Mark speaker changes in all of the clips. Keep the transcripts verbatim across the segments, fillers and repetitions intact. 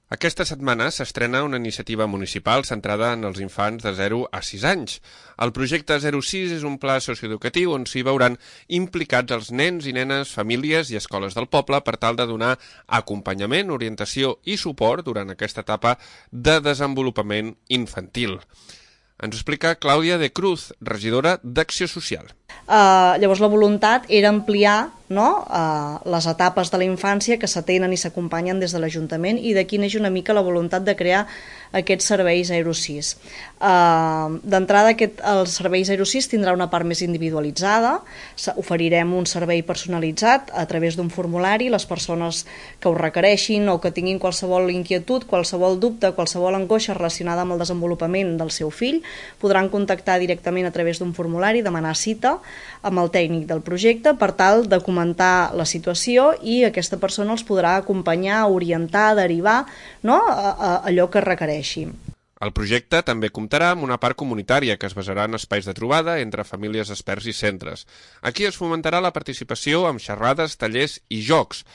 Speaker 1: Aquesta setmana s'estrena una iniciativa municipal centrada en els infants de zero a sis anys. El projecte zero sis és un pla socioeducatiu on s'hi veuran implicats els nens i nenes, famílies i escoles del poble per tal de donar acompanyament, orientació i suport durant aquesta etapa de desenvolupament infantil. Ens ho explica Clàudia de Cruz, regidora d'Acció Social.
Speaker 2: Uh, llavors la voluntat era ampliar no, uh, les etapes de la infància que s'atenen i s'acompanyen des de l'Ajuntament, i d'aquí neix una mica la voluntat de crear aquests serveis zero sis. Uh, D'entrada, aquest, el servei zero sis tindrà una part més individualitzada, oferirem un servei personalitzat a través d'un formulari. Les persones que ho requereixin o que tinguin qualsevol inquietud, qualsevol dubte, qualsevol angoixa relacionada amb el desenvolupament del seu fill, podran contactar directament a través d'un formulari, demanar cita amb el tècnic del projecte per tal de comentar la situació, i aquesta persona els podrà acompanyar, orientar, derivar, no, a, a allò que requereixi.
Speaker 1: El projecte també comptarà amb una part comunitària que es basarà en espais de trobada entre famílies, experts i centres. Aquí es fomentarà la participació amb xerrades, tallers i jocs.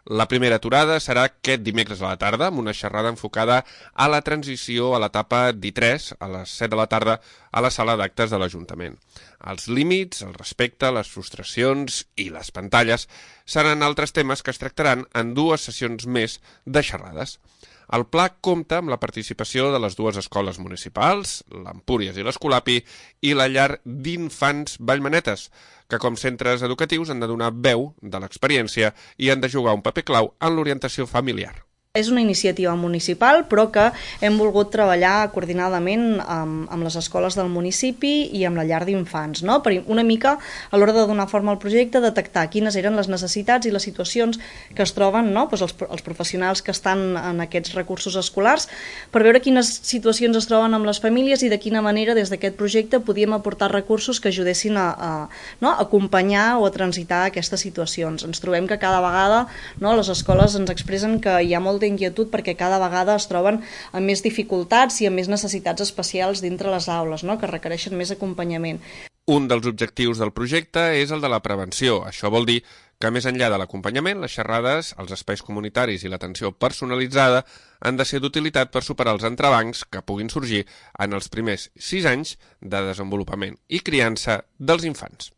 Speaker 1: La primera aturada serà aquest dimecres a la tarda, amb una xerrada enfocada a la transició a l'etapa d'I tres, a les set de la tarda, a la sala d'actes de l'Ajuntament. Els límits, el respecte, les frustracions i les pantalles seran altres temes que es tractaran en dues sessions més de xerrades. El pla compta amb la participació de les dues escoles municipals, l'Empúries i l'Escolapi, i la llar d'infants Vallmanetes, que com centres educatius han de donar veu de l'experiència i han de jugar un paper clau en l'orientació familiar.
Speaker 2: És una iniciativa municipal, però que hem volgut treballar coordinadament amb, amb les escoles del municipi i amb la llar d'infants, no? Per una mica, a l'hora de donar forma al projecte, detectar quines eren les necessitats i les situacions que es troben, no? Pues els, els professionals que estan en aquests recursos escolars, per veure quines situacions es troben amb les famílies i de quina manera des d'aquest projecte podíem aportar recursos que ajudessin a, a, no? a acompanyar o a transitar aquestes situacions. Ens trobem que cada vegada, no? les escoles ens expressen que hi ha molt d'inquietud perquè cada vegada es troben amb més dificultats i amb més necessitats especials dintre les aules, no? que requereixen més acompanyament.
Speaker 1: Un dels objectius del projecte és el de la prevenció. Això vol dir que més enllà de l'acompanyament, les xerrades, els espais comunitaris i l'atenció personalitzada han de ser d'utilitat per superar els entrebancs que puguin sorgir en els primers sis anys de desenvolupament i criança dels infants.